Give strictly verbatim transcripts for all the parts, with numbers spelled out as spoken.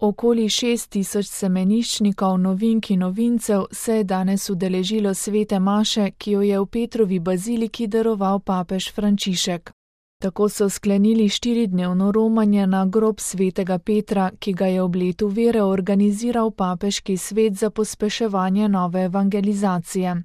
Okoli šest tisoč semeniščnikov, novink in novincev se je danes udeležilo svete maše, ki jo je v Petrovi baziliki daroval papež Frančišek. Tako so sklenili štiridnevno romanje na grob svetega Petra, ki ga je ob letu vere organiziral papeški svet za pospeševanje nove evangelizacije.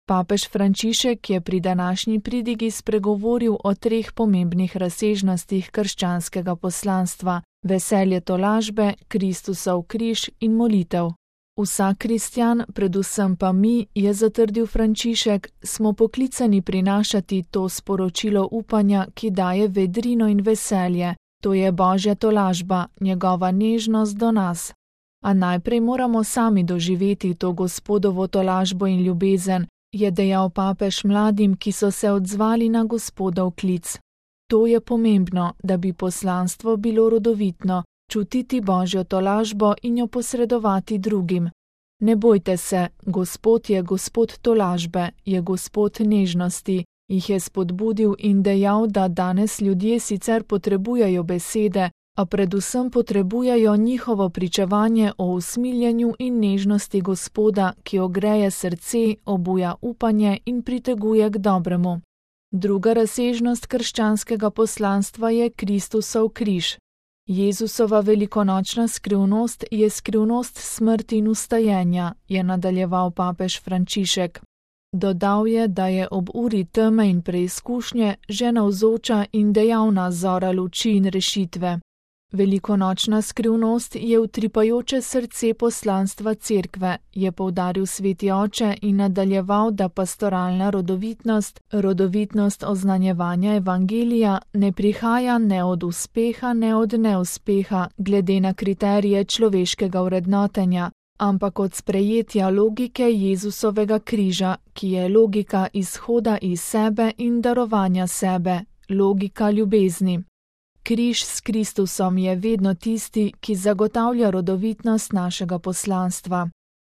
Papež Frančišek je pri današnji pridigi spregovoril o treh pomembnih razsežnostih krščanskega poslanstva: veselje tolažbe, Kristusov križ in molitev. Vsak kristjan, predvsem pa mi, je zatrdil Frančišek, smo poklicani prinašati to sporočilo upanja, ki daje vedrino in veselje, to je Božja tolažba, njegova nežnost do nas. A najprej moramo sami doživeti to Gospodovo tolažbo in ljubezen, je dejal papež mladim, ki so se odzvali na Gospodov klic. To je pomembno, da bi poslanstvo bilo rodovitno, čutiti Božjo tolažbo in jo posredovati drugim. Ne bojte se, Gospod je Gospod tolažbe, je Gospod nežnosti, jih je spodbudil in dejal, da danes ljudje sicer potrebujejo besede, a predvsem potrebujejo njihovo pričevanje o usmiljenju in nežnosti Gospoda, ki ogreje srce, obuja upanje in priteguje k dobremu. Druga razsežnost krščanskega poslanstva je Kristusov križ. Jezusova velikonočna skrivnost je skrivnost smrti in vstajenja, je nadaljeval papež Frančišek. Dodal je, da je ob uri teme in preizkušnje že navzoča in dejavna zora luči in rešitve. Velikonočna skrivnost je utripajoče srce poslanstva cerkve, je poudaril sveti oče in nadaljeval, da pastoralna rodovitnost, rodovitnost oznanjevanja evangelija ne prihaja ne od uspeha, ne od neuspeha, glede na kriterije človeškega vrednotenja, ampak od sprejetja logike Jezusovega križa, ki je logika izhoda iz sebe in darovanja sebe, logika ljubezni. Križ s Kristusom je vedno tisti, ki zagotavlja rodovitnost našega poslanstva.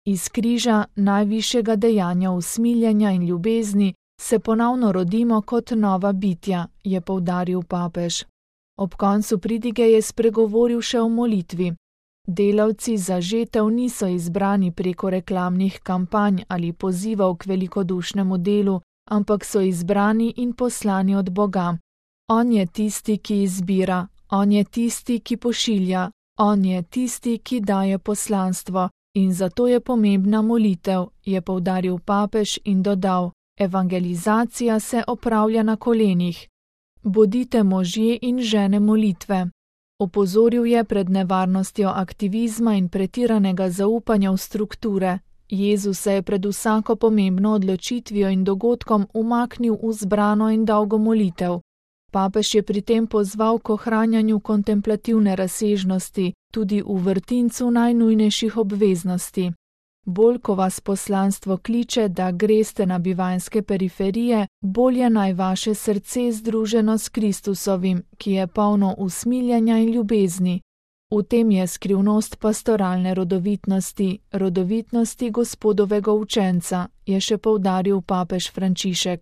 Iz križa, najvišjega dejanja usmiljenja in ljubezni, se ponovno rodimo kot nova bitja, je poudaril papež. Ob koncu pridige je spregovoril še o molitvi. Delavci za žetev niso izbrani preko reklamnih kampanj ali pozivov k velikodušnemu delu, ampak so izbrani in poslani od Boga. On je tisti, ki izbira, on je tisti, ki pošilja, on je tisti, ki daje poslanstvo, in zato je pomembna molitev, je poudaril papež in dodal: evangelizacija se opravlja na kolenih. Bodite možje in žene molitve. Opozoril je pred nevarnostjo aktivizma in pretiranega zaupanja v strukture. Jezus se je pred vsako pomembno odločitvijo in dogodkom umaknil v zbrano in dolgo molitev. Papež je pri tem pozval k ohranjanju kontemplativne razsežnosti, tudi v vrtincu najnujnejših obveznosti. Bolj, ko vas poslanstvo kliče, da greste na bivanjske periferije, bolje naj vaše srce združeno s Kristusovim, ki je polno usmiljenja in ljubezni. V tem je skrivnost pastoralne rodovitnosti, rodovitnosti Gospodovega učenca, je še poudaril papež Frančišek.